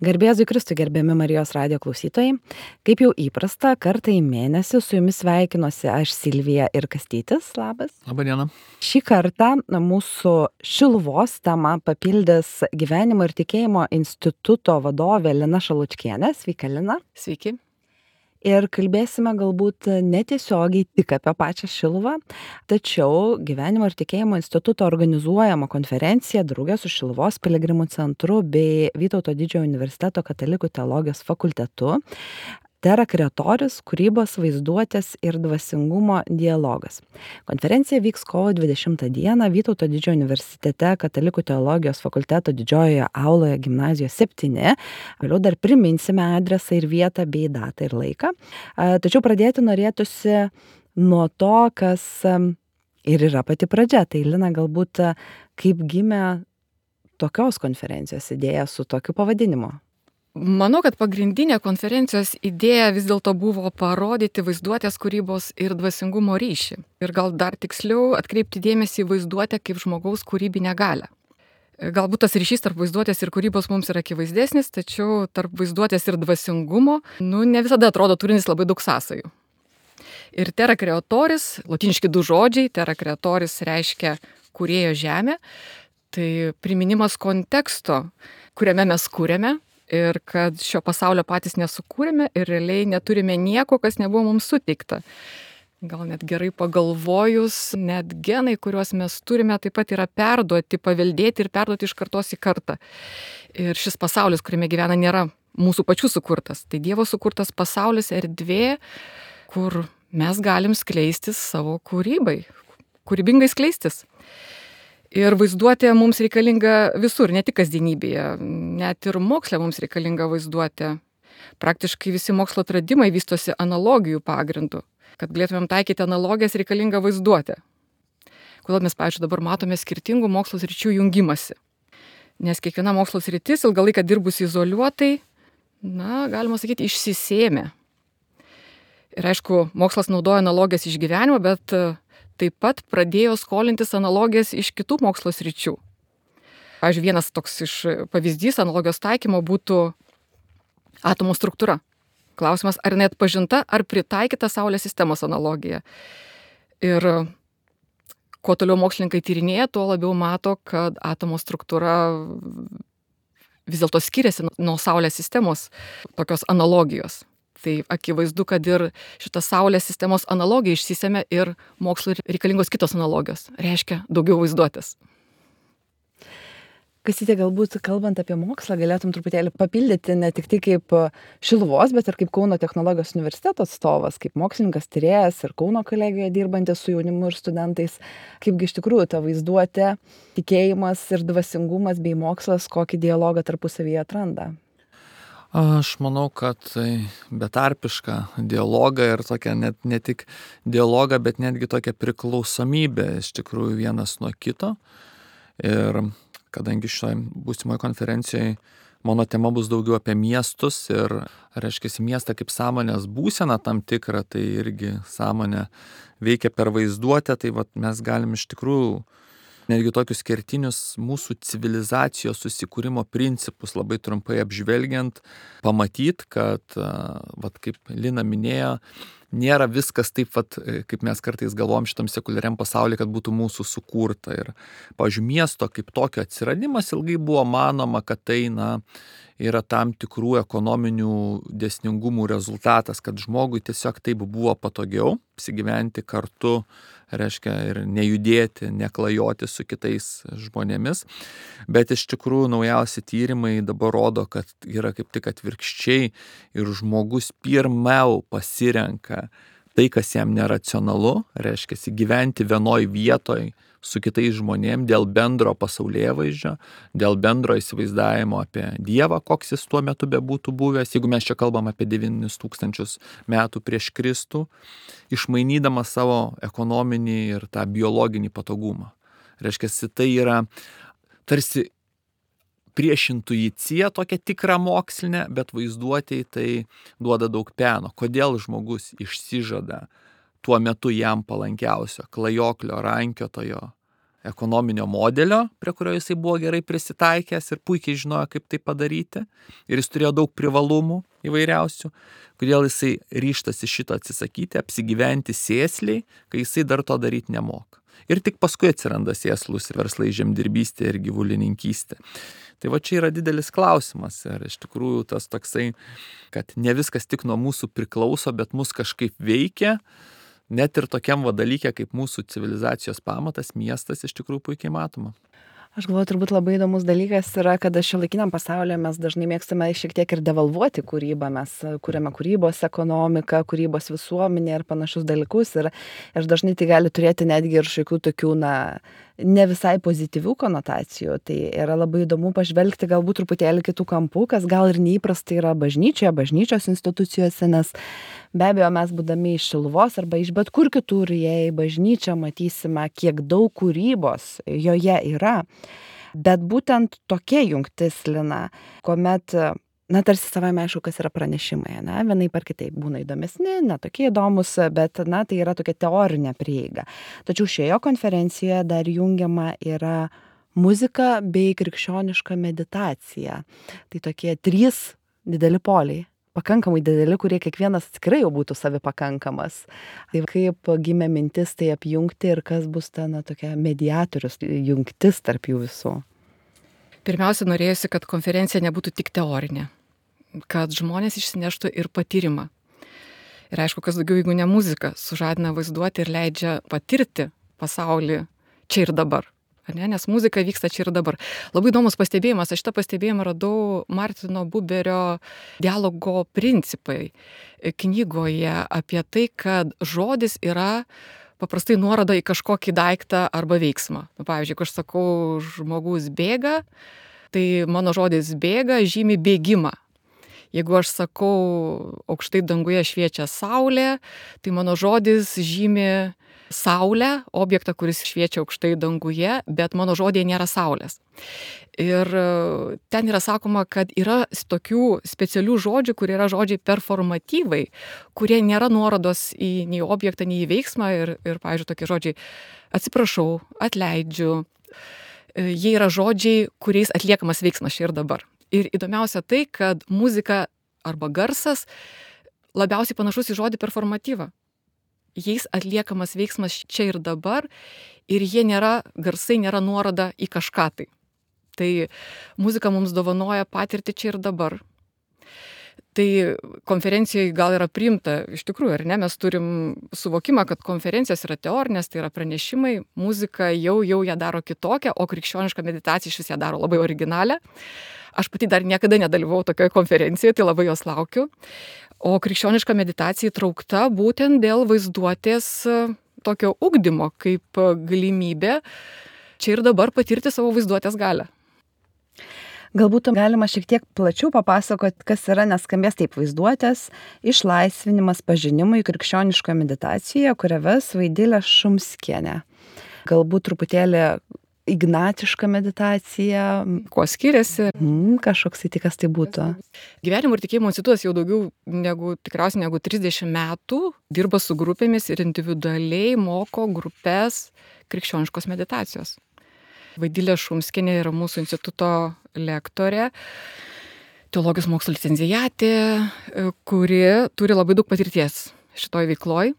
Garbėzui Kristui, gerbiami Marijos radijo klausytojai. Kaip jau įprasta, kartą į mėnesį su jumis sveikinuosi aš Silvija ir Kastytis. Labas. Labą dieną. Šį kartą mūsų Šiluvos temą papildys Gyvenimo ir tikėjimo instituto vadovė Lina Šalučkienė. Sveika, Lina. Sveiki. Ir kalbėsime galbūt netiesiogiai tik apie pačią Šiluvą, tačiau Gyvenimo ir tikėjimo instituto organizuojama konferencija drauge su Šiluvos piligrimų centru bei Vytauto Didžiojo universiteto katalikų teologijos fakultetu Terra Creatoris – kūrybos, vaizduotės ir dvasingumo dialogas. Konferencija vyks kovo 20 dieną Vytauto Didžiojo universitete katalikų teologijos fakulteto didžiojoje auloje gimnazijos 7. Vėliau dar priminsime adresą ir vietą bei datą ir laiką. Tačiau pradėti norėtųsi nuo to, kas ir yra pati pradžia. Tai Lina, galbūt kaip gimė tokios konferencijos idėja su tokiu pavadinimu? Manau, kad pagrindinė konferencijos idėja vis dėlto buvo parodyti vaizduotės, kūrybos ir dvasingumo ryšį. Ir gal dar tiksliau atkreipti dėmesį į vaizduotę kaip žmogaus kūrybinę galią. Galbūt tas ryšys tarp vaizduotės ir kūrybos mums yra akivaizdesnis, tačiau tarp vaizduotės ir dvasingumo, ne visada atrodo turintis labai daug sąsajų. Ir Terra Creatoris, lotyniški du žodžiai, Terra Creatoris reiškia kūrėjo žemė, tai priminimas konteksto, kuriame mes kūrėme, ir kad šio pasaulio patys nesukūrėme ir realiai neturime nieko, kas nebuvo mums suteikta. Gal net gerai pagalvojus, net genai, kuriuos mes turime, taip pat yra perduoti, paveldėti ir perduoti iš kartos į kartą. Ir šis pasaulis, kuriame gyvena, nėra mūsų pačių sukurtas. Tai Dievo sukurtas pasaulis, erdvė, kur mes galim skleistis savo kūrybai, kūrybingai skleistis. Ir vaizduotė mums reikalinga visur, ne tik kasdienybėje, net ir moksle mums reikalinga vaizduotė. Praktiškai visi mokslo atradimai vystosi analogijų pagrindu. Kad galėtumėm taikyti analogijas, reikalinga vaizduotė. Kodėl mes, pavyzdžiui, dabar matome skirtingų mokslo sričių jungimasi. Nes kiekviena mokslo sritis ilgą laiką dirbusi izoliuotai, galima sakyti, išsisėmė. Ir aišku, mokslas naudoja analogijas iš gyvenimo, bet taip pat pradėjo skolintis analogijas iš kitų mokslo sričių. Pavyzdžiui, vienas toks iš pavyzdys analogijos taikymo būtų atomo struktūra. Klausimas, ar jinai atpažinta, ar pritaikyta Saulės sistemos analogija. Ir kuo toliau mokslininkai tyrinėja, tuo labiau mato, kad atomo struktūra vis dėlto skiriasi nuo Saulės sistemos tokios analogijos. Tai akivaizdu, kad ir šitą Saulės sistemos analogiją išsisėmė ir mokslui reikalingos kitos analogijos. Reiškia daugiau vaizduotės. Kastytė, galbūt kalbant apie mokslą, galėtum truputėlį papildyti ne tik tai kaip Šiluvos, bet ir kaip Kauno technologijos universiteto atstovas, kaip mokslininkas, tyrėjas ir Kauno kolegijoje dirbantis su jaunimu ir studentais. Kaipgi iš tikrųjų ta vaizduotė, tikėjimas ir dvasingumas bei mokslas kokį dialogą tarpusavyje atranda? Aš manau, kad betarpišką dialogą ir tokią ne tik dialogą, bet netgi tokią priklausomybę iš tikrųjų vienas nuo kito. Ir kadangi šioje būsimoje konferencijoje mano tema bus daugiau apie miestus ir, reiškia, miestą kaip sąmonės būseną tam tikrą, tai irgi sąmonė veikia per vaizduotę, tai mes galim iš tikrųjų netgi tokius kertinius mūsų civilizacijos susikūrimo principus labai trumpai apžvelgiant, pamatyti, kad, kaip Lina minėjo, nėra viskas taip, kaip mes kartais galvom šitam sekuliariam pasaulyje, kad būtų mūsų sukurta. Ir, pavyzdžiui, miesto kaip tokio atsiradimas ilgai buvo manoma, kad tai, yra tam tikrų ekonominių dėsningumų rezultatas, kad žmogui tiesiog taip buvo patogiau apsigyventi kartu, reiškia, ir nejudėti, neklajoti su kitais žmonėmis. Bet iš tikrųjų naujausi tyrimai dabar rodo, kad yra kaip tik atvirkščiai ir žmogus pirmiau pasirenka tai, kas jam neracionalu, reiškia, gyventi vienoj vietoj su kitais žmonėm dėl bendro pasaulėvaizdžio, dėl bendro įsivaizdavimo apie Dievą, koks jis tuo metu bebūtų buvęs, jeigu mes čia kalbam apie 9000 metų prieš Kristų, išmainydama savo ekonominį ir tą biologinį patogumą. Reiškia, tai yra tarsi prieš intuiciją tokia tikra mokslinė, bet vaizduotėj tai duoda daug peno. Kodėl žmogus išsižada tuo metu jam palankiausio klajoklio, rankiotojo ekonominio modelio, prie kurio jisai buvo gerai prisitaikęs ir puikiai žinojo, kaip tai padaryti. Ir jis turėjo daug privalumų įvairiausių, kodėl jisai ryžtasi šito atsisakyti, apsigyventi sėsliai, kai jisai dar to daryti nemoka. Ir tik paskui atsiranda sėslus verslai žemdirbystė ir gyvulininkystė. Tai va čia yra didelis klausimas ir iš tikrųjų tas toksai, kad ne viskas tik nuo mūsų priklauso, bet mus kažkaip veikia, net ir tokiam dalykė kaip mūsų civilizacijos pamatas, miestas iš tikrųjų puikiai matoma. Aš galvoju, turbūt labai įdomus dalykas yra, kad šiuolaikiniam pasaulyje mes dažnai mėgstame šiek tiek ir devalvuoti kūrybą. Mes kuriame kūrybos ekonomiką, kūrybos visuomenę ir panašius dalykus. Ir dažnai tai gali turėti netgi ir šiokių tokių, ne visai pozityvių konotacijų. Tai yra labai įdomu pažvelgti galbūt truputėlį kitų kampų, kas gal ir neįprastai yra bažnyčioje, bažnyčios institucijose, nes be abejo mes būdami iš Šiluvos arba iš bet kur kitur, jei bažnyčią matysime, kiek daug kūrybos joje yra. Bet būtent tokia jungtis, Lina, kuomet, tarsi savaime aišku, kas yra pranešimai, vienaip ar kitaip būna įdomesni, netokie įdomus, bet, tai yra tokia teorinė prieiga. Tačiau šioje konferencijoje dar jungiama yra muzika bei krikščioniška meditacija. Tai tokie 3 dideli poliai. Pakankamai dideli, kurie kiekvienas atskirai jau būtų savipakankamas. Tai kaip gimė mintis tai apjungti ir kas bus ta tokia mediatorius jungtis tarp jų visų? Pirmiausia, norėjusi, kad konferencija nebūtų tik teorinė, kad žmonės išsineštų ir patyrimą. Ir aišku, kas daugiau, jeigu ne muzika, sužadina vaizduoti ir leidžia patirti pasaulį čia ir dabar. Nes muzika vyksta čia ir dabar. Labai įdomus pastebėjimas. Aš šitą pastebėjimą radau Martino Buberio dialogo principai knygoje apie tai, kad žodis yra paprastai nuoroda į kažkokį daiktą arba veiksmą. Pavyzdžiui, jeigu aš sakau, žmogus bėga, tai mano žodis bėga žymi bėgimą. Jeigu aš sakau, aukštai danguje šviečia saulė, tai mano žodis žymi saulę, objektą, kuris šviečia aukštai danguje, bet mano žodėje nėra saulės. Ir ten yra sakoma, kad yra tokių specialių žodžių, kurie yra žodžiai performatyvai, kurie nėra nuorodos į nei objektą, nei į veiksmą. Ir pavyzdžiui, tokie žodžiai atsiprašau, atleidžiu. Jie yra žodžiai, kuriais atliekamas veiksmas čia ir dabar. Ir įdomiausia tai, kad muzika arba garsas labiausiai panašus į žodį performatyvą. Jais atliekamas veiksmas čia ir dabar ir garsai nėra nuoroda į kažką tai. Tai muzika mums dovanoja patirtį čia ir dabar. Tai konferencijoje gal yra priimta, iš tikrųjų, ar ne, mes turim suvokimą, kad konferencijos yra teorinės, tai yra pranešimai, muzika jau ją daro kitokią, o krikščioniška meditacija iš vis ją daro labai originalią. Aš pati dar niekada nedalyvau tokioje konferencijoje, tai labai jos laukiu. O krikščioniška meditacija įtraukta būtent dėl vaizduotės tokio ugdymo, kaip galimybė čia ir dabar patirti savo vaizduotės galią. Galbūt galima šiek tiek plačiau papasakoti, kas yra, neskambės taip vaizduotės, išlaisvinimas pažinimui krikščioniškoje meditacijoje, kurią ves Vaidilė Šumskienė. Galbūt truputėlį ignatiška meditacija. Kuo skiriasi? Kažkoks įtikas tai būtų. Gyvenimo ir tikėjimo institutas jau tikriausiai negu 30 metų dirba su grupėmis ir individualiai moko grupės krikščioniškos meditacijos. Vaidilė Šumskienė yra mūsų instituto lektorė, teologijos mokslo licenciatė, kuri turi labai daug patirties šitoj veikloj.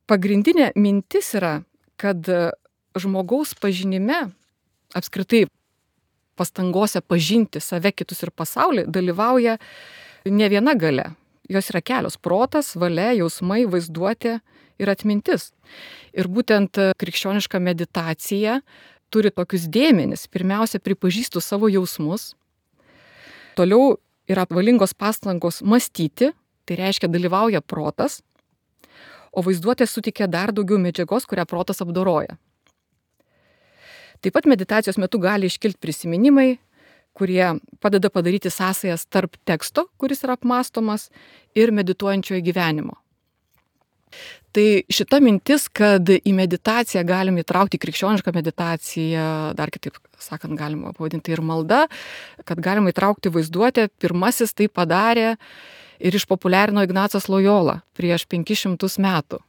Pagrindinė mintis yra, kad žmogaus pažinime, apskritai pastangose pažinti save, kitus ir pasaulį, dalyvauja ne viena galia. Jos yra kelios: protas, valia, jausmai, vaizduotė ir atmintis. Ir būtent krikščioniška meditacija turi tokius dėmenis. Pirmiausia, pripažįstu savo jausmus. Toliau yra valingos pastangos mąstyti, tai reiškia dalyvauja protas, o vaizduotė suteikia dar daugiau medžiagos, kurią protas apdoroja. Taip pat meditacijos metu gali iškilti prisiminimai, kurie padeda padaryti sąsajas tarp teksto, kuris yra apmąstomas, ir medituojančiojo gyvenimo. Tai šita mintis, kad į meditaciją galim įtraukti krikščionišką meditaciją, dar kitaip sakant, galima pavadinti ir malda, kad galima įtraukti vaizduotę, pirmasis tai padarė ir išpopuliarino Ignacas Lojola prieš 500 metų.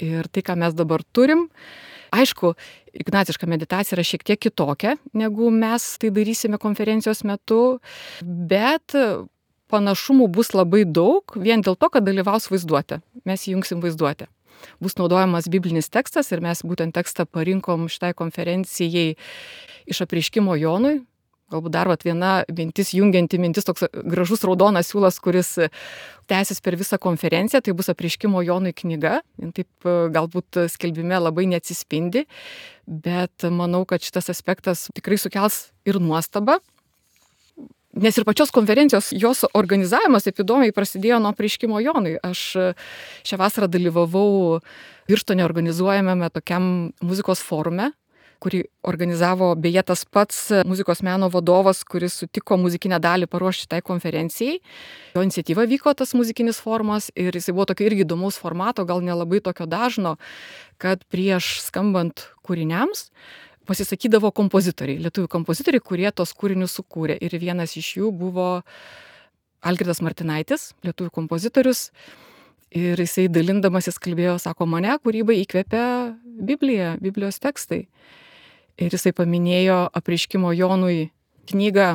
Ir tai, ką mes dabar turim, Aišku, ignaciška meditacija yra šiek tiek kitokia, negu mes tai darysime konferencijos metu, bet panašumų bus labai daug, vien dėl to, kad dalyvaus vaizduotė. Mes įjungsim vaizduotę. Bus naudojamas biblinis tekstas ir mes būtent tekstą parinkom šitai konferencijai iš Apreiškimo Jonui. Galbūt dar viena mintis, jungianti mintis, toks gražus raudonas siūlas, kuris tęsis per visą konferenciją, tai bus Apreiškimo Jonui knyga. Taip galbūt skelbime labai neatsispindi, bet manau, kad šitas aspektas tikrai sukels ir nuostabą. Nes ir pačios konferencijos, jos organizavimas taip įdomiai prasidėjo nuo Apreiškimo Jonui. Aš šią vasarą dalyvavau Birštone organizuojamame tokiam muzikos forume, kurį organizavo beje tas pats muzikos meno vadovas, kuris sutiko muzikinę dalį paruošti tai konferencijai. Jo iniciatyva vyko tas muzikinis forumas ir jisai buvo tokio irgi įdomaus formato, gal nelabai tokio dažno, kad prieš skambant kūriniams pasisakydavo kompozitoriai, lietuvių kompozitoriai, kurie tos kūrinius sukūrė. Ir vienas iš jų buvo Algirdas Martinaitis, lietuvių kompozitorius. Ir jisai dalindamasis kalbėjo, sako, mane kūrybai įkvėpė Biblija, Biblijos tekstai. Ir jisai paminėjo Apreiškimo Jonui knygą,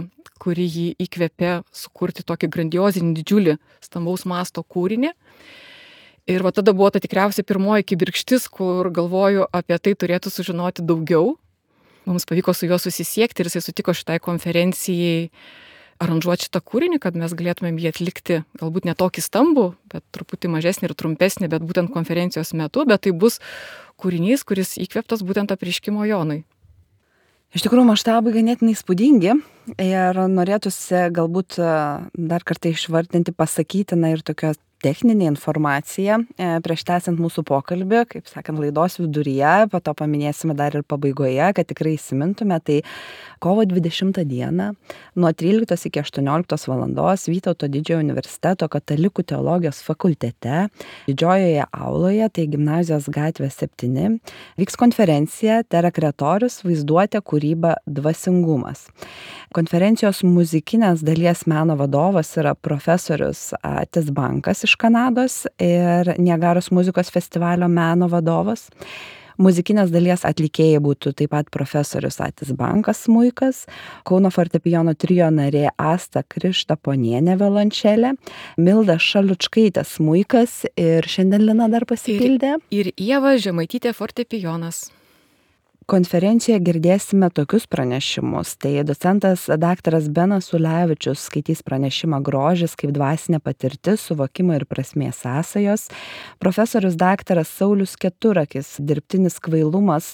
kuri jį įkvėpė sukurti tokį grandiozinį, didžiulį, stambaus masto kūrinį. Ir va tada buvo ta tikriausiai pirmoji kibirkštis, kur galvoju apie tai turėtų sužinoti daugiau. Mums pavyko su juo susisiekti ir jisai sutiko šitai konferencijai aranžuoti šitą kūrinį, kad mes galėtumėm jį atlikti galbūt ne tokį stambų, bet truputį mažesnį ir trumpesnį, bet būtent konferencijos metu, bet tai bus kūrinys, kuris įkvėptas būtent Apreiškimo Jonui. Iš tikrųjų, maštabai ganėtinai įspūdingi ir norėtųsi galbūt dar kartą išvardinti pasakytiną ir tokią techninę informaciją prieš tęsiant mūsų pokalbį, kaip sakant, laidos viduryje, po to paminėsime dar ir pabaigoje, kad tikrai įsimintume, tai kovo 20 dieną nuo 13 iki 18 valandos Vytauto Didžiojo universiteto Katalikų teologijos fakultete, didžiojoje auloje, tai Gimnazijos gatvė 7, vyks konferencija Terakretorius vaizduotė kūryba dvasingumas. Konferencijos muzikinės dalies meno vadovas yra profesorius Atis Bankas iš Kanados ir Niagaros muzikos festivalio meno vadovas. Muzikinės dalies atlikėjai būtų taip pat profesorius Atis Bankas smuikas, Kauno fortepijono trio narė Asta Krištaponienė violončelė, Milda Šalučkaitė smuikas ir šiandien Lina dar pasipildė. Ir Ieva Žemaitytė fortepijonas. Konferencijoje girdėsime tokius pranešimus. Tai docentas daktaras Benas Ulevičius skaitys pranešimą Grožis kaip dvasinė patirtis, suvokimo ir prasmės sąsajos. Profesorius daktaras Saulius Keturakis dirbtinis kvailumas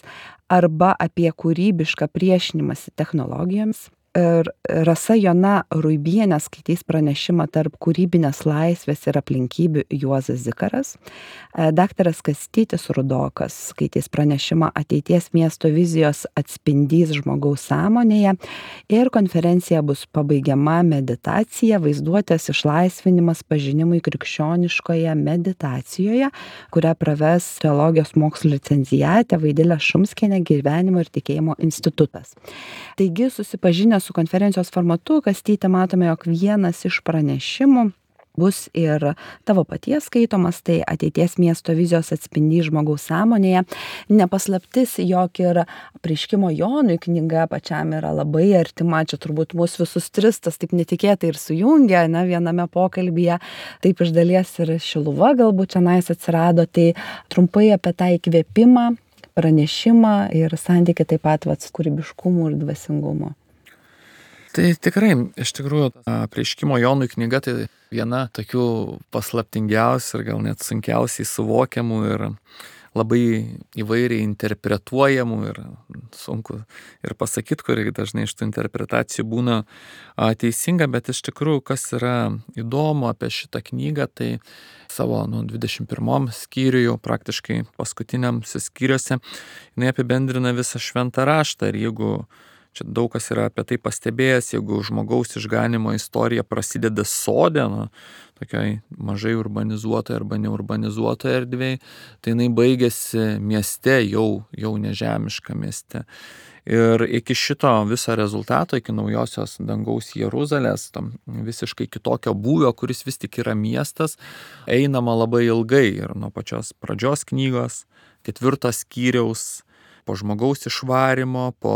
arba apie kūrybišką priešinimąsi technologijoms. Ir Rasa Jona Ruibienė skaitys pranešimą tarp kūrybinės laisvės ir aplinkybių Juozas Zikaras. Daktaras Kastytis Rudokas skaitys pranešimą ateities miesto vizijos atspindys žmogaus sąmonėje. Ir konferencija bus pabaigiama meditacija, vaizduotės išlaisvinimas pažinimui krikščioniškoje meditacijoje, kurią praves teologijos mokslo licenciatė Vaidilė Šumskienė Gyvenimo ir tikėjimo institutas. Taigi, susipažinę su konferencijos formatu, Kastytė, matome, jog vienas iš pranešimų bus ir tavo paties skaitomas, tai ateities miesto vizijos atspindys žmogaus sąmonėje. Nepaslaptis, jog ir Apreiškimo Jonui knyga pačiam yra labai artima, čia turbūt mūsų visus tris tas taip netikėtai ir sujungia, viename pokalbyje, taip iš dalies ir Šiluva galbūt čionais atsirado, tai trumpai apie tą įkvėpimą, pranešimą ir santykį taip pat kūrybiškumo ir dvasingumo. Tai tikrai, iš tikrųjų, Apreiškimo Jonui knyga tai viena tokių paslaptingiausių ir gal net sunkiausiai suvokiamų ir labai įvairiai interpretuojamų ir sunku ir pasakyti, kuri dažnai iš tų interpretacijų būna teisinga, bet iš tikrųjų, kas yra įdomu apie šitą knygą, tai savo 21 skyriuje, praktiškai paskutiniam skyriuose, jinai apibendrina visą šventą raštą ir jeigu čia daug kas yra apie tai pastebėjęs, jeigu žmogaus išganimo istorija prasideda sode, tokioj mažai urbanizuotoje arba neurbanizuotoje erdvėje, tai jinai baigėsi mieste, jau nežemiška mieste. Ir iki šito viso rezultato, iki naujosios dangaus Jeruzalės, tam visiškai kitokio būvio, kuris vis tik yra miestas, einama labai ilgai ir nuo pačios pradžios knygos, 4 skyriaus, po žmogaus išvarimo, po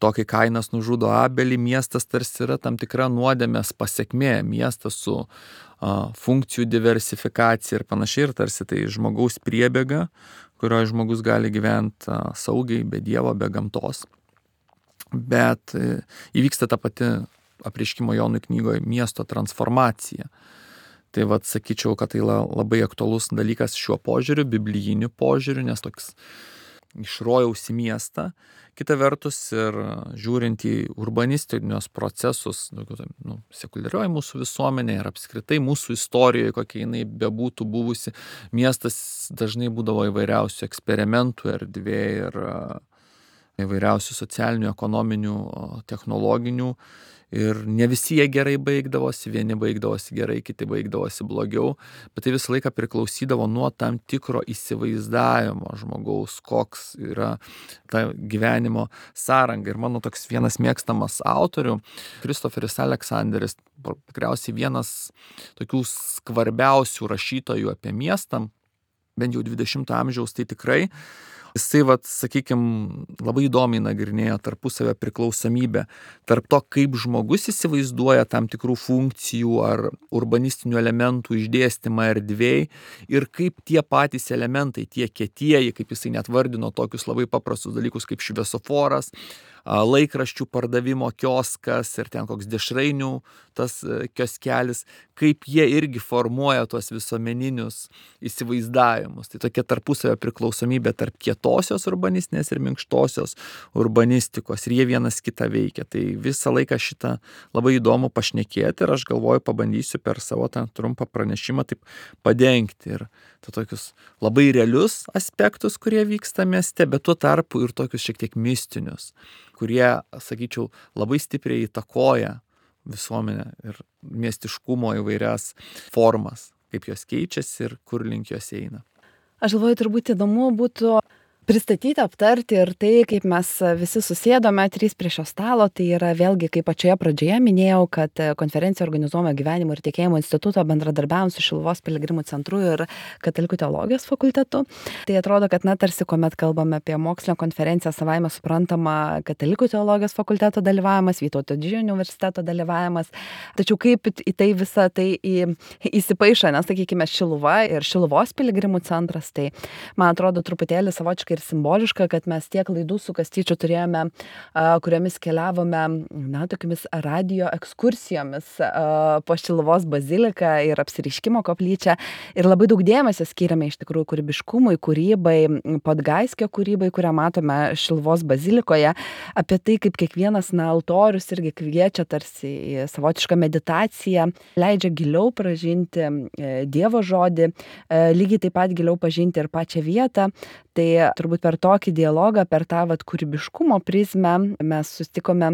to, kai Kainas nužudo Abelį, miestas tarsi yra tam tikra nuodėmės pasekmė, miestas su funkcijų diversifikacija ir panašiai, ir tarsi tai žmogaus priebėga, kurioje žmogus gali gyventi saugiai, be Dievo, be gamtos. Bet įvyksta ta pati apreiškimo Jonui knygoje miesto transformacija. Tai vat sakyčiau, kad tai labai aktualus dalykas šiuo požiūriu, biblijiniu požiūriu, nes toks iš rojaus į miestą. Kita vertus ir žiūrint į urbanistinius procesus, sekuliarioji mūsų visuomenė ir apskritai mūsų istorijoje, kokia jinai bebūtų buvusi, miestas dažnai būdavo įvairiausių eksperimentų erdvė ir įvairiausių socialinių, ekonominių, technologinių. Ir ne visi jie gerai baigdavosi, vieni baigdavosi gerai, kiti baigdavosi blogiau, bet tai visą laiką priklausydavo nuo tam tikro įsivaizdavimo žmogaus, koks yra ta gyvenimo sąranga. Ir mano toks vienas mėgstamas autorių, Kristoferis Aleksanderis, tikriausiai vienas tokių skvarbiausių rašytojų apie miestą, bent jau 20 amžiaus, tai tikrai. Jisai, sakykime, labai įdomiai nagrinėjo tarpusavio priklausomybę tarp to, kaip žmogus įsivaizduoja tam tikrų funkcijų ar urbanistinių elementų išdėstymą erdvėj ir kaip tie patys elementai, tie kietieji, kaip jisai net vardino tokius labai paprastus dalykus kaip šviesoforas, laikraščių pardavimo kioskas ir ten koks dešrainių tas kioskelis, kaip jie irgi formuoja tuos visuomeninius įsivaizdavimus. Tai tokia tarpusavio priklausomybė tarp kietosios urbanistinės ir minkštosios urbanistikos ir jie vienas kitą veikia. Tai visą laiką šitą labai įdomu pašnekėti ir aš galvoju, pabandysiu per savo tą trumpą pranešimą taip padengti ir tokius labai realius aspektus, kurie vyksta mieste, bet tuo tarpu ir tokius šiek tiek mistinius, kurie, sakyčiau, labai stipriai įtakoja visuomenę ir miestiškumo įvairias formas, kaip jos keičiasi ir kur link jos eina. Aš galvoju, turbūt įdomu būtų pristatyti, aptarti ir tai, kaip mes visi susėdome 3 prie šio stalo, tai yra vėlgi, kaip pačioje pradžioje minėjau, kad konferencija organizuojama Gyvenimo ir tikėjimo instituto bendradarbiaujant su Šiluvos piligrimų centru ir Katalikų teologijos fakultetu. Tai atrodo, kad tarsi kuomet kalbame apie mokslinę konferenciją, savaime suprantama Katalikų teologijos fakulteto dalyvavimas, Vytauto Didžiojo universiteto dalyvavimas. Tačiau kaip į tai visą tai įsipaišo, nes sakykime Šiluva ir Šiluvos piligrimų centras, tai man atrodo truputėlį savotiškai ir simboliška, kad mes tiek laidų su Kastyčiu turėjome, kuriomis keliavome, tokiamis radio ekskursijomis po Šiluvos baziliką ir apsireiškimo koplyčią. Ir labai daug dėmesio skiriame iš tikrųjų kūrybiškumui, kūrybai, Podgaiskio kūrybai, kurią matome Šiluvos bazilikoje, apie tai, kaip kiekvienas altorius irgi kviečia tarsi į savotišką meditaciją, leidžia giliau pažinti Dievo žodį, lygiai taip pat giliau pažinti ir pačią vietą. Tai turbūt per tokį dialogą, per tą kūrybiškumo prizmę mes susitikome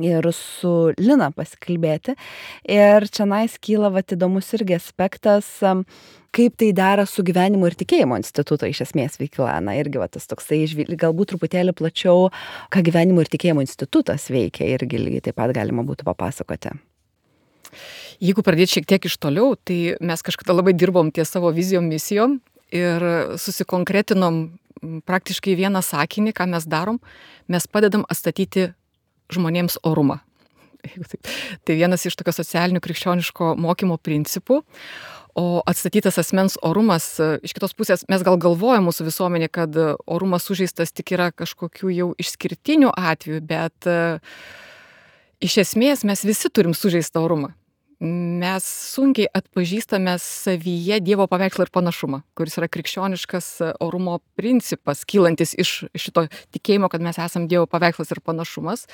ir su Lina pasikalbėti. Ir čionais kyla įdomus irgi aspektas, kaip tai dera su Gyvenimo ir tikėjimo instituto iš esmės veikla. Irgi tas toksai, galbūt truputėlį plačiau, ką Gyvenimo ir tikėjimo institutas veikia, irgi lygiai taip pat galima būtų papasakoti. Jeigu pradėti šiek tiek iš toliau, tai mes kažkada labai dirbom ties savo vizijom, misijom ir susikonkretinom praktiškai vieną sakinį, ką mes darom, mes padedam atstatyti žmonėms orumą. Tai vienas iš tokio socialinių krikščioniško mokymo principų. O atstatytas asmens orumas, iš kitos pusės, mes gal galvojame mūsų visuomenė, kad orumas sužeistas tik yra kažkokių jau išskirtinių atvejų, bet iš esmės mes visi turim sužeistą orumą. Mes sunkiai atpažįstame savyje Dievo paveikslą ir panašumą, kuris yra krikščioniškas orumo principas, kylantis iš šito tikėjimo, kad mes esam Dievo paveikslas ir panašumas.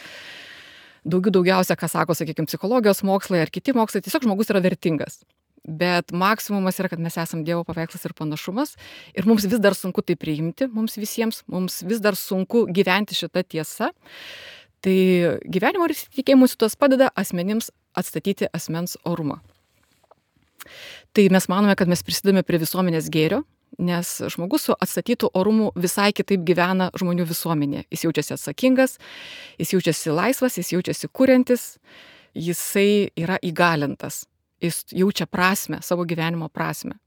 Daugiausia, ką sako, sakykime, psichologijos mokslai ar kiti mokslai, tiesiog žmogus yra vertingas. Bet maksimumas yra, kad mes esam Dievo paveikslas ir panašumas ir mums vis dar sunku tai priimti, mums visiems, mums vis dar sunku gyventi šitą tiesą. Tai Gyvenimo ir tikėjimo institutas padeda asmenims atstatyti asmens orumą. Tai mes manome, kad mes prisidame prie visuomenės gėrio, nes žmogus su atstatytu orumu visai kitaip gyvena žmonių visuomenėje. Jis jaučiasi atsakingas, jis jaučiasi laisvas, jis jaučiasi kuriantis, jisai yra įgalintas, jis jaučia prasmę, savo gyvenimo prasmę.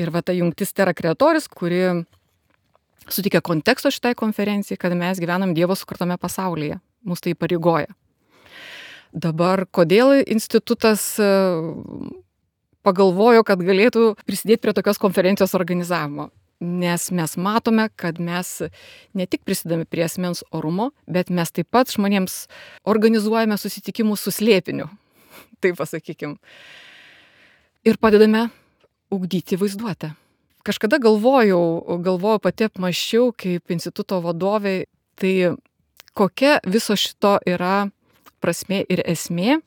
Ir ta jungtis terra creatoris, kuri suteikia konteksto šitai konferencijai, kad mes gyvenam Dievo sukurtame pasaulyje. Mūsų tai įpareigoja. Dabar, kodėl institutas pagalvojo, kad galėtų prisidėti prie tokios konferencijos organizavimo? Nes mes matome, kad mes ne tik prisidame prie asmens orumo, bet mes taip pat žmonėms organizuojame susitikimus su slėpiniu, taip pasakykim. Ir padedame ugdyti vaizduotę. Kažkada galvojau pati apmąsčiau kaip instituto vadovė, tai kokia viso šito yra prasmė ir esmė.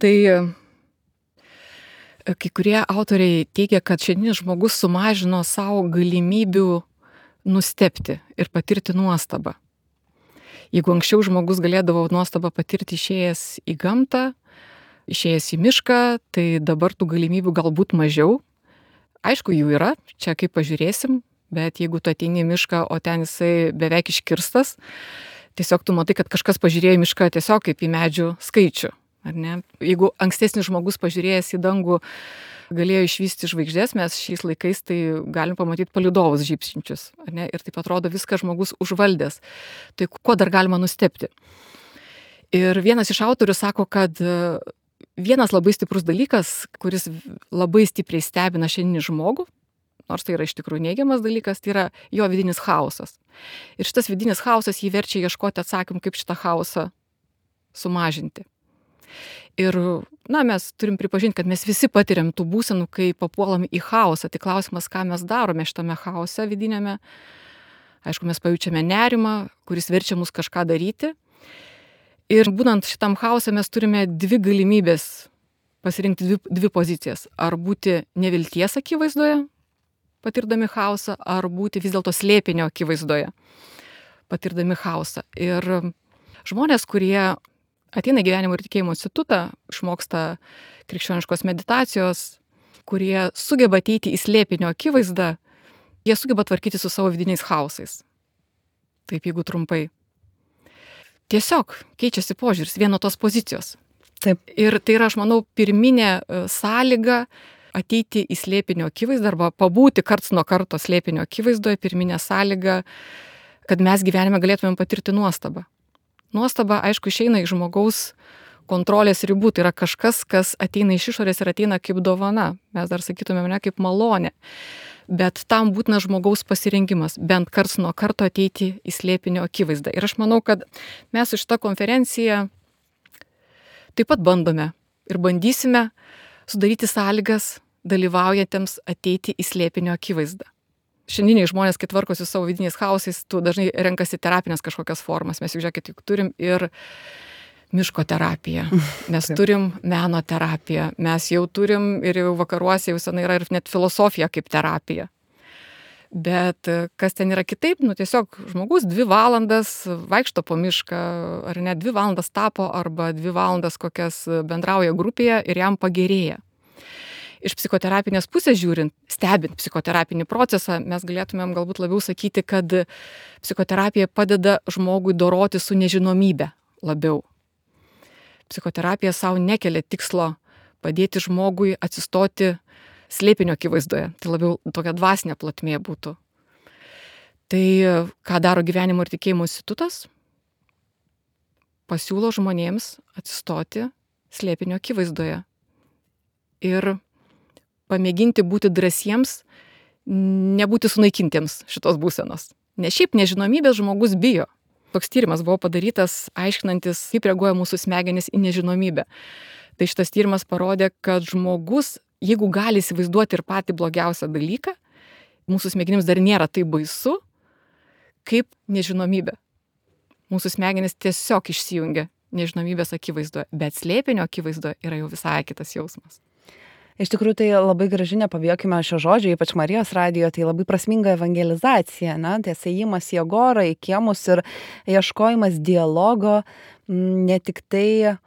Tai kai kurie autoriai teigia, kad šiandienis žmogus sumažino savo galimybių nustebti ir patirti nuostabą. Jeigu anksčiau žmogus galėdavo nuostabą patirti išėjęs į gamtą, išėjęs į mišką, tai dabar tų galimybių galbūt mažiau. Aišku, jų yra, čia kaip pažiūrėsim, bet jeigu tu ateini į mišką, o ten jisai beveik iškirstas, tiesiog tu matai, kad kažkas pažiūrėjo į mišką tiesiog kaip į medžių skaičių. Ar ne? Jeigu ankstesnis žmogus pažiūrėjęs į dangų galėjo išvysti žvaigždės, mes šiais laikais tai galim pamatyti palydovus žybsinčius. Ar ne? Ir taip atrodo viską žmogus užvaldęs. Tai kuo dar galima nustebti? Ir vienas iš autorių sako, kad vienas labai stiprus dalykas, kuris labai stipriai stebina šiandienį žmogų, nors tai yra iš tikrųjų neigiamas dalykas, tai yra jo vidinis chaosas. Ir šitas vidinis chaosas jį verčia ieškoti atsakymų, kaip šitą chaosą sumažinti. Ir, mes turim pripažinti, kad mes visi patiriam tų būsenų, kai papuolam į chaosą. Tai klausimas, ką mes darome šitame chaose vidinėme. Aišku, mes pajaučiame nerimą, kuris verčia mus kažką daryti. Ir būnant šitam chaose mes turime dvi galimybės pasirinkti dvi pozicijas. Ar būti nevilties akivaizdoje, patirdami chaosą, ar būti vis dėlto slėpinio akivaizdoje, patirdami chaosą. Ir žmonės, kurie ateina į Gyvenimo ir tikėjimo institutą, išmoksta krikščioniškos meditacijos, kurie sugeba ateiti į slėpinio akivaizdą, jie sugeba tvarkyti su savo vidiniais chaosais. Taip, jeigu trumpai. Tiesiog keičiasi požiūris, vieno tos pozicijos. Taip. Ir tai yra, aš manau, pirminė sąlyga ateiti į slėpinio akivaizdą arba pabūti karts nuo karto slėpinio akivaizdoje, pirminė sąlyga, kad mes gyvenime galėtumėm patirti nuostabą. Nuostaba, aišku, išeina iš žmogaus kontrolės ribų, tai yra kažkas, kas ateina iš išorės ir ateina kaip dovana. Mes dar sakytumėm, ne kaip malonė. Bet tam būtina žmogaus pasirengimas, bent karts nuo karto ateiti į slėpinio akivaizdą. Ir aš manau, kad mes su šita konferencija taip pat bandome ir bandysime sudaryti sąlygas dalyvaujantiems ateiti į slėpinio akivaizdą. Šiandieniai žmonės, kai tvarkosi savo vidiniais chaosais, tu dažnai renkasi terapinės kažkokias formas. Mes juk žiūrėkit, juk turim ir miško terapiją, mes turim meno terapiją, mes jau turim ir jau vakaruose jau senai yra ir net filosofija kaip terapija. Bet kas ten yra kitaip, tiesiog žmogus 2 valandas vaikšto po mišką, ar ne 2 valandas tapo, arba 2 valandas kokias bendrauja grupėje ir jam pagerėja. Iš psichoterapinės pusės žiūrint, stebint psichoterapinį procesą, mes galėtumėm galbūt labiau sakyti, kad psichoterapija padeda žmogui doroti su nežinomybe labiau. Psichoterapija savo nekelia tikslo padėti žmogui atsistoti slėpinio akivaizdoje. Tai labiau tokia dvasinė plotmė būtų. Tai ką daro Gyvenimo ir tikėjimo institutas? Pasiūlo žmonėms atsistoti slėpinio akivaizdoje. Ir pamėginti būti drąsiems, nebūti sunaikintiems šitos būsenos. Nes šiaip nežinomybės žmogus bijo. Toks tyrimas buvo padarytas, aiškinantis, kaip reaguoja mūsų smegenys į nežinomybę. Tai šitas tyrimas parodė, kad žmogus, jeigu gali įsivaizduoti ir patį blogiausią dalyką, mūsų smegenims dar nėra taip baisu, kaip nežinomybė. Mūsų smegenys tiesiog išsijungia nežinomybės akivaizdoje, bet slėpinio akivaizdoje yra jau visai kitas jausmas. Iš tikrųjų, tai labai graži, nepabijokime šio žodžio, ypač Marijos radijo, tai labai prasminga evangelizacija, ties ėjimas į agorą, į kiemus ir ieškojimas dialogo, ne tik tai,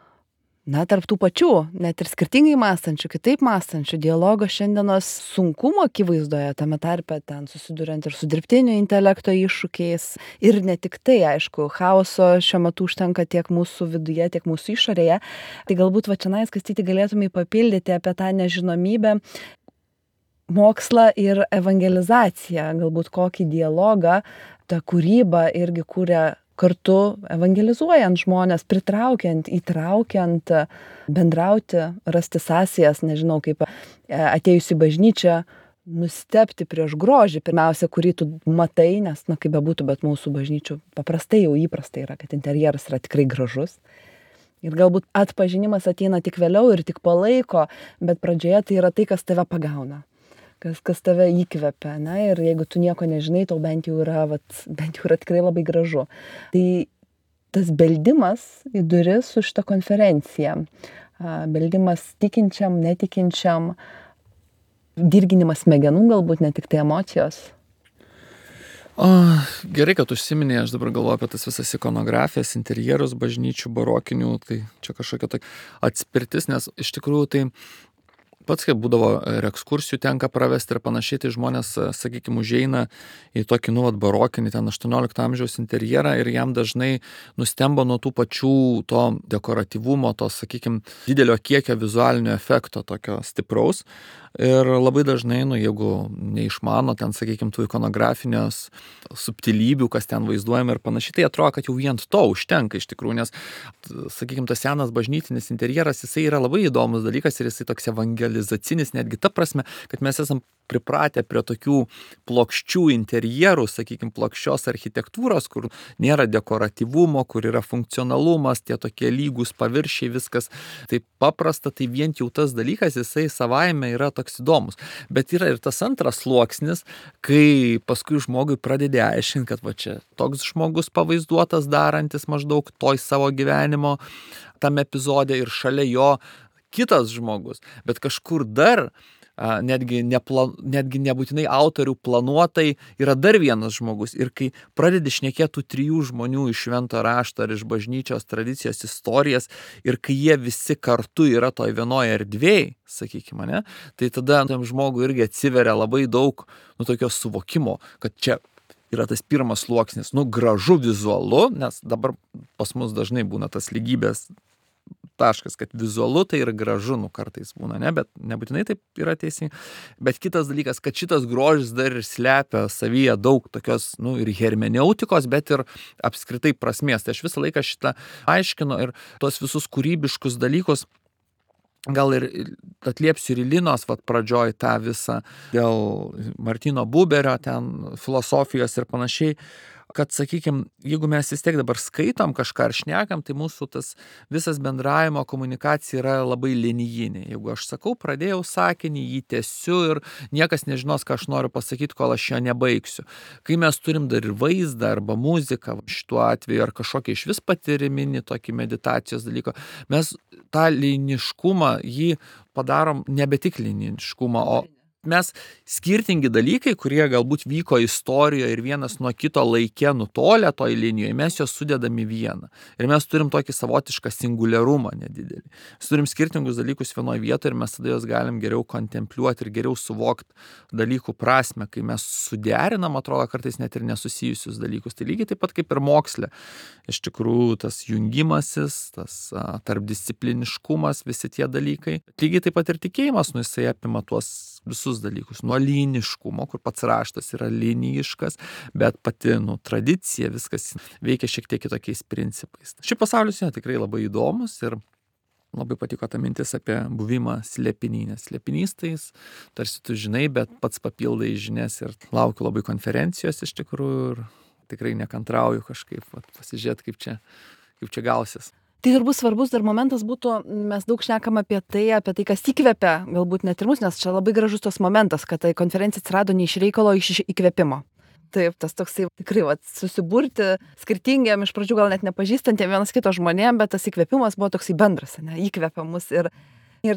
tarp tų pačių, net ir skirtingai mąstančių, kitaip mąstančių, dialogo šiandienos sunkumo akivaizdoje, tame tarpe ten susiduriant ir su dirbtinio intelekto iššūkiais. Ir ne tik tai, aišku, chaoso šiuo metu užtenka tiek mūsų viduje, tiek mūsų išorėje. Tai galbūt Čionais, Kastyti, galėtumai papildyti apie tą nežinomybę. mokslą ir evangelizaciją, galbūt kokį dialogą ta kūryba irgi kūrė kartu evangelizuojant žmones, pritraukiant, įtraukiant, bendrauti, rasti sąsajas, nežinau, kaip atėjus į bažnyčią, nustebti prieš grožį, pirmiausia, kurį tu matai, nes, kaip bebūtų, bet mūsų bažnyčių paprastai jau įprastai yra, kad interjeras yra tikrai gražus. Ir galbūt atpažinimas ateina tik vėliau ir tik po laiko, bet pradžioje tai yra tai, kas tave pagauna, kas tave įkvepia, ir jeigu tu nieko nežinai, tau bent jau yra tikrai labai gražu. Tai tas beldimas į duris su šitą konferenciją, beldimas tikinčiam, netikinčiam, dirginimas smegenų, galbūt ne tik tai emocijos. Gerai, kad užsiminė, aš dabar galvoju apie tas visas ikonografijas, interjerus bažnyčių barokinių, tai čia kažkokia tokia atspirtis, nes iš tikrųjų tai pats, kaip būdavo ir ekskursijų tenka pravesti ir panašiai, tai žmonės, sakykime, užeina į tokį, barokinį, ten 18 amžiaus interjerą ir jam dažnai nustemba nuo tų pačių to dekoratyvumo, to, sakykime, didelio kiekio vizualinio efekto, tokio stipraus. Ir labai dažnai, jeigu neišmano ten, sakykime, tų ikonografinės subtilybių, kas ten vaizduojama ir panašiai, tai atrodo, kad jau vien to užtenka iš tikrųjų, nes, sakykime, tas senas bažnytinis interjeras, jisai yra labai įdomus dalykas ir jisai toks evangelizacinis, netgi ta prasme, kad mes esam pripratę prie tokių plokščių interjerų, sakykime, plokščios architektūros, kur nėra dekoratyvumo, kur yra funkcionalumas, tie tokie lygus paviršiai, viskas taip paprasta, tai vien jau tas dalykas, jisai savaime yra toks įdomus. Bet yra ir tas antras sluoksnis, kai paskui žmogui pradedi aiškinti, kad va čia toks žmogus pavaizduotas darantis maždaug toj savo gyvenimo tam epizode ir šalia jo kitas žmogus, bet kažkur dar netgi nebūtinai autorių planuotai yra dar vienas žmogus. Ir kai pradedi šnekėti tų 3 žmonių iš švento rašto ar iš bažnyčios tradicijos istorijas ir kai jie visi kartu yra toj vienoje erdvėje, sakykime, ne, tai tada tam žmogui irgi atsiveria labai daug tokio suvokimo, kad čia yra tas pirmas sluoksnis, gražu vizualu, nes dabar pas mus dažnai būna tas lygybės taškas, kad vizualu tai ir gražu, kartais būna, ne, bet nebūtinai taip yra teisingai. Bet kitas dalykas, kad šitas grožis dar ir slepia savyje daug tokios, ir hermeneutikos, bet ir apskritai prasmės. Tai aš visą laiką šitą aiškinu ir tos visus kūrybiškus dalykus gal ir atliepsiu ir Linos pradžioj tą visą dėl Martino Buberio, ten filosofijos ir panašiai, kad, sakykime, jeigu mes vis tiek dabar skaitom kažką ar šnekam, tai mūsų tas visas bendravimo komunikacija yra labai linijinė. Jeigu aš sakau, pradėjau sakinį, jį tęsiu ir niekas nežinos, ką aš noriu pasakyti, kol aš jo nebaigsiu. Kai mes turim dar ir vaizdą arba muziką, šituo atveju, ar kažkokį iš vis patyriminį tokį meditacijos dalyką, mes tą liniškumą jį padarom nebe tik liniškumą, o mes skirtingi dalykai, kurie galbūt vyko istorijoje ir vienas nuo kito laike nutolę toj linijoje, mes juos sudedam į vieną. Ir mes turim tokį savotišką singuliarumą nedidelį. Mes turim skirtingus dalykus vienoje vietoje ir mes tada juos galim geriau kontempliuoti ir geriau suvokti dalykų prasme, kai mes suderinam, atrodo, kartais net ir nesusijusius dalykus. Tai lygiai taip pat kaip ir moksle. Iš tikrųjų, tas jungimasis, tas tarpdiscipliniškumas, visi tie dalykai. Lygiai taip pat ir tikėjimas, jisai apima tuos visus dalykus, nuo liniškumo, kur pats raštas yra linijiškas, bet pati, tradicija, viskas veikia šiek tiek kitokiais principais. Šis pasaulis yra tikrai labai įdomus ir labai patiko ta mintis apie buvimą slėpiny, nes slėpinys tai tarsi tu žinai, bet pats papildai žinias ir laukiu labai konferencijos iš tikrųjų ir tikrai nekantrauju kažkaip pasižiūrėti, kaip čia gausis. Tai turbūt svarbus dar momentas būtų, mes daug šnekam apie tai, kas įkvepia, galbūt net ir mus, nes čia labai gražus tos momentas, kad tai konferencija atsirado ne iš reikalo, iš įkvėpimo. Taip, tas toksai tikrai susiburti skirtingiam, iš pradžių gal net nepažįstantiem vienas kito žmonėm, bet tas įkvėpimas buvo toksai bendras, įkvėpia mus ir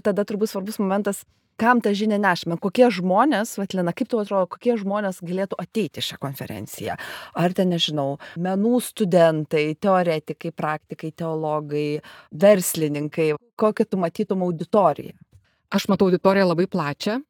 tada turbūt svarbus momentas, kam tą žinią nešame, kokie žmonės, Lina, kaip tau atrodo, kokie žmonės galėtų ateiti šią konferenciją? Ar ten, nežinau, menų studentai, teoretikai, praktikai, teologai, verslininkai, kokią tu matytum auditoriją? Aš matau auditoriją labai plačią.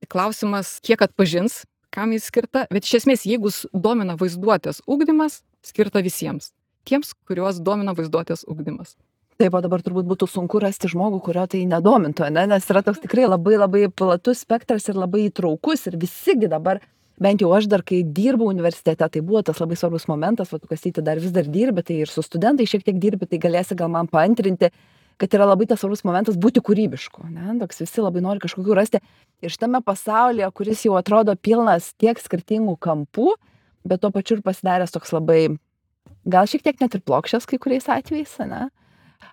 Klausimas, kiek atpažins, kam jis skirta, bet iš esmės, jeigu domina vaizduotės ugdymas, skirta visiems. Tiems, kuriuos domina vaizduotės ugdymas. Taip, o dabar turbūt būtų sunku rasti žmogų, kurio tai nedomintų, ne? Nes yra toks tikrai labai labai platus spektras ir labai įtraukus ir visigi dabar, bent jau aš dar, kai dirbau universitete, tai buvo tas labai svarbus momentas, tu Kastyti dar vis dar dirbi, tai ir su studentai šiek tiek dirbi, tai galėsi gal man paantrinti, kad yra labai tas svarbus momentas būti kūrybišku, ne? Toks visi labai nori kažkokių rasti. Ir šitame pasaulyje, kuris jau atrodo pilnas tiek skirtingų kampų, bet tuo pačiu ir pasidaręs toks labai, gal šiek tiek net ir plokščias kai kuriais atvejais, ne?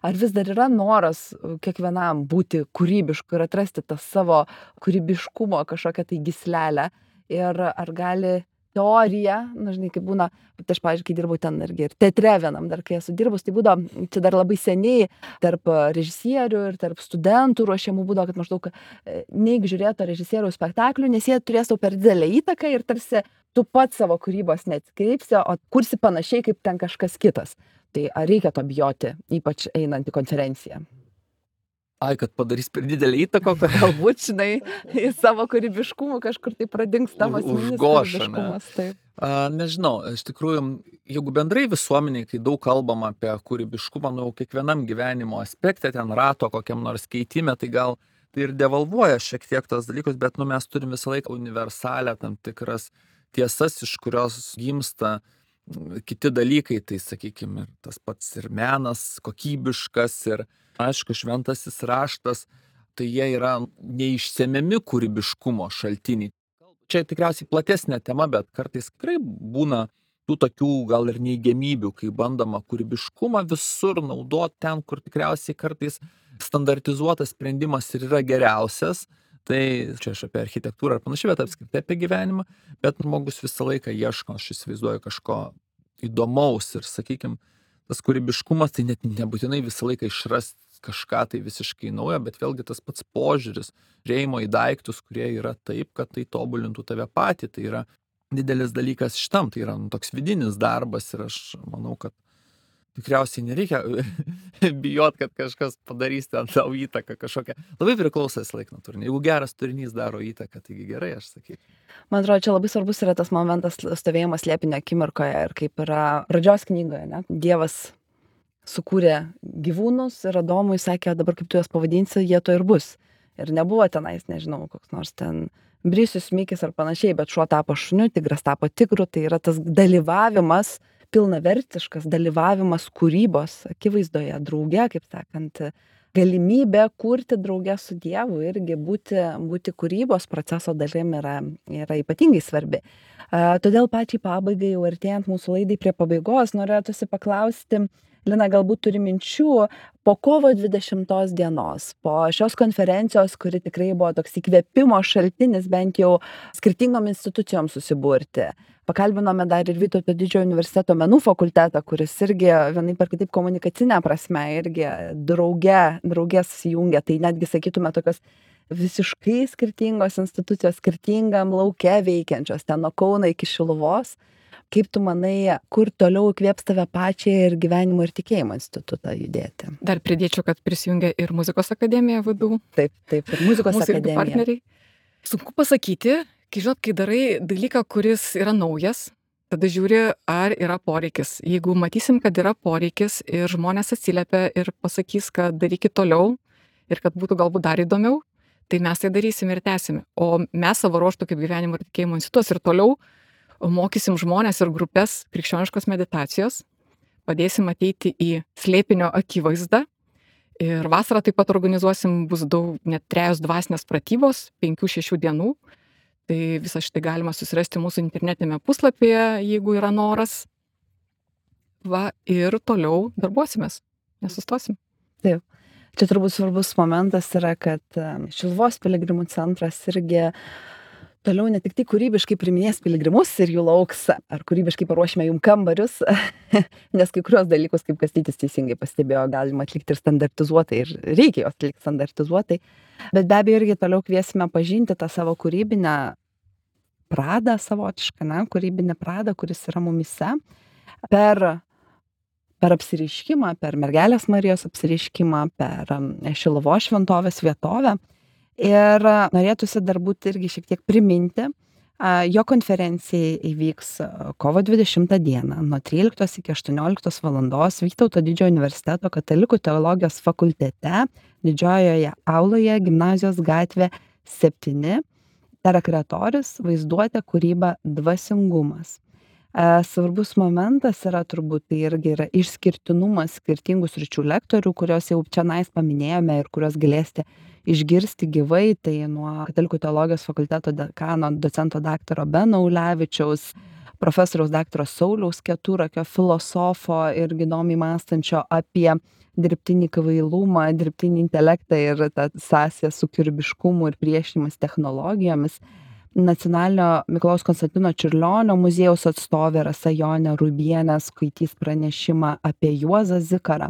Ar vis dar yra noras kiekvienam būti kūrybišku ir atrasti tą savo kūrybiškumo kažkokią tai gyslelę? Ir ar gali teorija, žinai, kaip būna, tai aš, pavyzdžiui, kai dirbau ten irgi ir teatre vienam, dar kai esu dirbus, tai būdavo, čia dar labai seniai, tarp režisierių ir tarp studentų ruošiamų būdavo, kad maždaug neik žiūrėti to režisieriaus spektaklių, nes jie turės tau per didelę įtaką ir tarsi tu pats savo kūrybos neatskreipsi, o kursi panašiai kaip ten kažkas kitas. Tai ar reikia to bijoti, ypač einant į konferenciją? Ai, kad padarys per didelį įtaką, Galbūt, žinai, į savo kūrybiškumą kažkur tai pradings tavo asmeninis kūrybiškumas. Taip. Nežinau, iš tikrųjų, jeigu bendrai visuomeniai, kai daug kalbama apie kūrybiškumą, kiekvienam gyvenimo aspekte, ten rato kokiam nors keitime, tai gal tai ir devalvuoja šiek tiek tos dalykus, bet mes turim visą laiką universalę tam tikras tiesas, iš kurios gimsta kiti dalykai, tai sakykime, tas pats ir menas kokybiškas ir, aišku, šventasis raštas, tai jie yra neišsemiami kūrybiškumo šaltiniai. Čia tikriausiai platesnė tema, bet kartais tikrai būna tų tokių gal ir neigiamybių, kai bandoma kūrybiškumą visur naudoti ten, kur tikriausiai kartais standartizuotas sprendimas ir yra geriausias. Tai čia aš apie architektūrą ar panašiai, bet apskritai apie gyvenimą, bet žmogus visą laiką ieško, aš įsivaizduoju, kažko įdomaus ir, sakykime, tas kūrybiškumas, tai net nebūtinai visą laiką išrasti kažką tai visiškai naujo, bet vėlgi tas pats požiūris, žiūrėjimo į daiktus, kurie yra taip, kad tai tobulintų tave patį, tai yra didelis dalykas šitam, tai yra toks vidinis darbas ir aš manau, kad tikriausiai nereikia bijot, kad kažkas padarys ten tau įtaką kažkokią. Labai priklausęs laik nuo turinio. Jeigu geras turinys daro įtaką, taigi gerai, aš sakyčiau. Man atrodo, čia labai svarbus yra tas momentas stovėjimas slėpinio akimirkoje ir kaip yra pradžios knygoje, ne? Dievas sukūrė gyvūnus ir Adomui sakė, dabar kaip tu juos pavadinsi, jie to ir bus. Ir nebuvo tenais, nežinau, koks nors ten brisius, mikis ar panašiai, bet šuo tapo šuniu, tigras tapo tigru, tai yra tas dalyvavimas, pilnavertiškas dalyvavimas kūrybos akivaizdoje, drauge, kaip sakant, galimybė kurti drauge su Dievu irgi būti kūrybos proceso dalim yra ypatingai svarbi. Todėl pačiai pabaigai, jau artėjant mūsų laidai prie pabaigos, norėtųsi paklausti, Lina, galbūt turi minčių po kovo 20 dienos, po šios konferencijos, kuri tikrai buvo toks įkvėpimo šaltinis bent jau skirtingom institucijom susiburti. Pakalbinome dar ir Vytauto Didžiojo universiteto menų fakultetą, kuris irgi vienaip ar kitaip komunikacinė prasme irgi drauge susijungia. Tai netgi sakytume tokios visiškai skirtingos institucijos, skirtingam lauke veikiančios, ten nuo Kauno iki Šiluvos. Kaip tu manai, kur toliau įkvėps tave pačią ir Gyvenimo ir tikėjimo institutą judėti? Dar pridėčiau, kad prisijungia ir muzikos akademija VDU. Taip, ir muzikos akademija. Partneriai. Sunku pasakyti, kai darai dalyką, kuris yra naujas, tada žiūri, ar yra poreikis. Jeigu matysim, kad yra poreikis ir žmonės atsiliepia ir pasakys, kad darykit toliau ir kad būtų galbūt dar įdomiau, tai mes tai darysim ir tęsim. O mes savo ruožtu kaip Gyvenimo ir tikėjimo institutas ir toliau mokysim žmonės ir grupės krikščioniškos meditacijos, padėsim ateiti į slėpinio akivaizdą ir vasarą taip pat organizuosim, bus net 3 dvasinės pratybos, 5-6 dienų. Tai visą šitą galima susirasti mūsų internetinėme puslapyje, jeigu yra noras. Ir toliau darbuosimės, nesustosim. Taip. Čia turbūt svarbus momentas yra, kad Šiluvos piligrimų centras irgi toliau ne tik tai kūrybiškai priiminės piligrimus ir jų lauks, ar kūrybiškai paruošime jum kambarius, nes kai kurios dalykus, kaip Kastytis teisingai pastebėjo, galima atlikti ir standartizuotai, ir reikia jos atlikti standartizuotai, bet be abejo irgi toliau kviesime pažinti tą savo kūrybinę pradą savotišką, kūrybinę pradą, kuris yra mumise, per apsireiškimą, per Mergelės Marijos apsireiškimą, per Šiluvos šventovės vietovę. Ir norėtųsi dar būti irgi šiek tiek priminti, Jo konferencija įvyks kovo 20 dieną nuo 13 iki 18 valandos Vytauto Didžiojo universiteto Katalikų teologijos fakultete, Didžiojoje auloje, Gimnazijos gatvė 7, Terakretorius, vaizduotė, kūryba, dvasingumas. Svarbus momentas yra turbūt tai irgi yra išskirtinumas skirtingų sričių lektorių, kuriuos jau čionais paminėjome ir kuriuos galėsite išgirsti gyvai. Tai nuo Katalikų teologijos fakulteto dekano docento daktaro Beno Ulevičiaus, profesoriaus daktaro Sauliaus Keturakio, filosofo ir įdomiai mąstančio apie dirbtinį kvailumą, dirbtinį intelektą ir tą sąsają su kūrybiškumu ir priešinimas technologijomis. Nacionalinio Mikalojaus Konstantino Čiurlionio muziejaus atstovė Rasa Jonė Rubienė skaitys pranešimą apie Juozą Zikarą.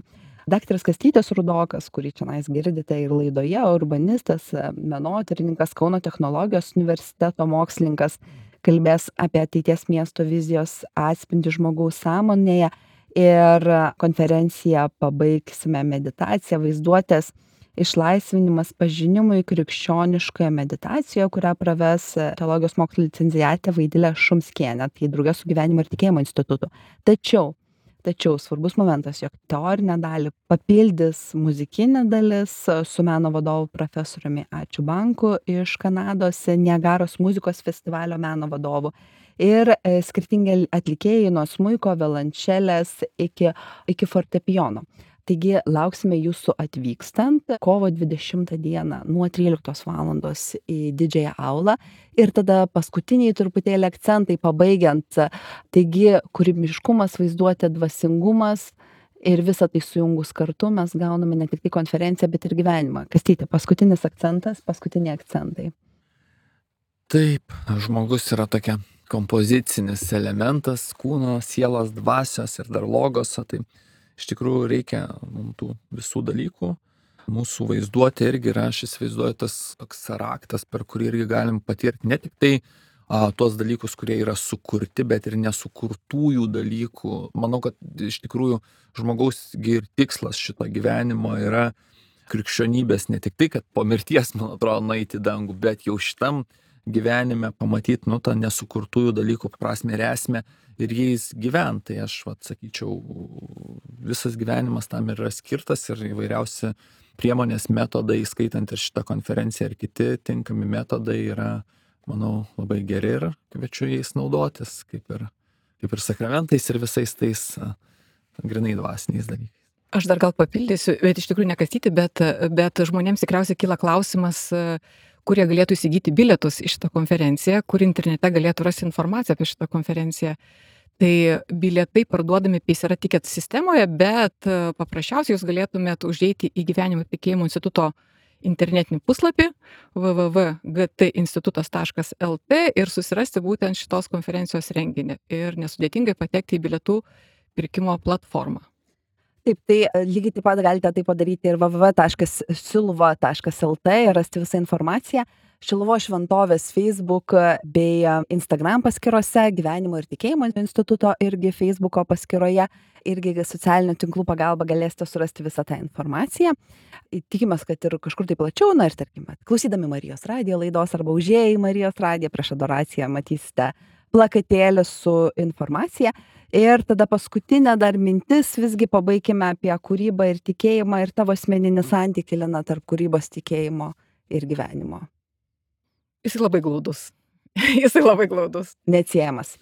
Daktaras Kastytis Rudokas, kurį čionais girdite ir laidoje, urbanistas, menotyrininkas, Kauno technologijos universiteto mokslininkas, kalbės apie ateities miesto vizijos atspindį žmogaus sąmonėje ir konferenciją pabaigsime meditaciją vaizduotės išlaisvinimas pažinimui krikščioniškoje meditacijoje, kurią praves teologijos mokslo licenciatė Vaidilė Šumskienė, tai drauge su Gyvenimo ir tikėjimo institutu. Tačiau svarbus momentas, jog teorinę dalį papildys muzikinė dalis su meno vadovu profesoriumi Ačiū Banku iš Kanados, Niagaros muzikos festivalio meno vadovu. Ir skirtingi atlikėjai nuo smuiko, violončelės iki fortepijono. Taigi lauksime jūsų atvykstant kovo 20 dieną nuo 13 valandos į Didžiąją aulą. Ir tada paskutiniai truputėlį akcentai pabaigiant. Taigi kūrybiškumas, vaizduotė, dvasingumas ir visą tai sujungus kartu mes gauname ne tik tai konferenciją, bet ir gyvenimą. Kastyti, paskutinis akcentas, paskutiniai akcentai. Taip, žmogus yra tokia kompozicinis elementas kūno, sielos, dvasios ir dar logoso. Tai iš tikrųjų reikia mums tų visų dalykų. Mūsų vaizduotė irgi yra, aš įsivaizduoju, tas toks raktas, per kurį irgi galim patirti ne tik tai tuos dalykus, kurie yra sukurti, bet ir nesukurtųjų dalykų. Manau, kad iš tikrųjų žmogaus ir tikslas šito gyvenimo yra krikščionybės ne tik tai, kad po mirties, man atrodo, nueiti į dangų, bet jau šitam gyvenime pamatyti, tą nesukurtųjų dalykų prasmę ir esmę ir jais gyventi. Tai aš sakyčiau, visas gyvenimas tam yra skirtas ir įvairiausi priemonės, metodai, skaitant ir šitą konferenciją ir kiti tinkami metodai yra, manau, labai geri ir kviečiu jais naudotis, kaip ir sakramentais ir visais tais grynai dvasiniais dalykais. Aš dar gal papildysiu, bet iš tikrųjų nekastyti, bet žmonėms tikriausiai kyla klausimas, kurie galėtų įsigyti bilietus į šitą konferenciją, kur internete galėtų rasti informaciją apie šitą konferenciją. Tai bilietai parduodami Paysera Ticket sistemoje, bet paprasčiausiai jūs galėtumėt užeiti į Gyvenimo ir tikėjimo instituto internetinį puslapį www.gtinstitutas.lt ir susirasti būtent šitos konferencijos renginį ir nesudėtingai patekti į bilietų pirkimo platformą. Taip, tai lygiai taip pat galite tai padaryti ir www.siluva.lt ir rasti visą informaciją. Šiluvos šventovės Facebook bei Instagram paskyrose, Gyvenimo ir tikėjimo instituto irgi Facebooko paskyroje, irgi socialinių tinklų pagalba galėsite surasti visą tą informaciją. Tikimės, kad ir kažkur tai plačiau, ir tarkime, klausydami Marijos radijo laidos arba užėję į Marijos radiją prieš adoraciją matysite plakatėlį su informacija. Ir tada paskutinė dar mintis, visgi pabaikime apie kūrybą ir tikėjimą ir tavo asmeninį santykį, Lina, tarp kūrybos, tikėjimo ir gyvenimo. Jisai labai glaudus. Neatsiejamas.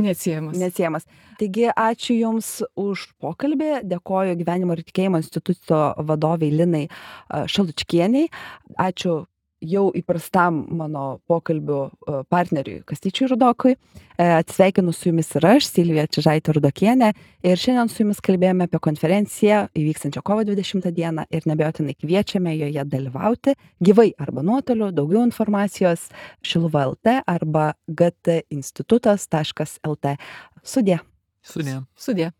Taigi, ačiū Jums už pokalbį. Dėkoju Gyvenimo ir tikėjimo instituto vadoviai Linai Šalučkieniai. Ačiū jau įprastam mano pokalbių partneriui Kastyčiui Rudokui. Atsisveikinu su Jumis ir aš, Silvija Čižaitė Rudokienė. Ir šiandien su Jumis kalbėjome apie konferenciją įvyksančią kovo 20 dieną ir neabejotinai kviečiame joje dalyvauti gyvai arba nuotoliu. Daugiau informacijos Šiluva.lt arba gtinstitutas.lt. Sudie. Sudie.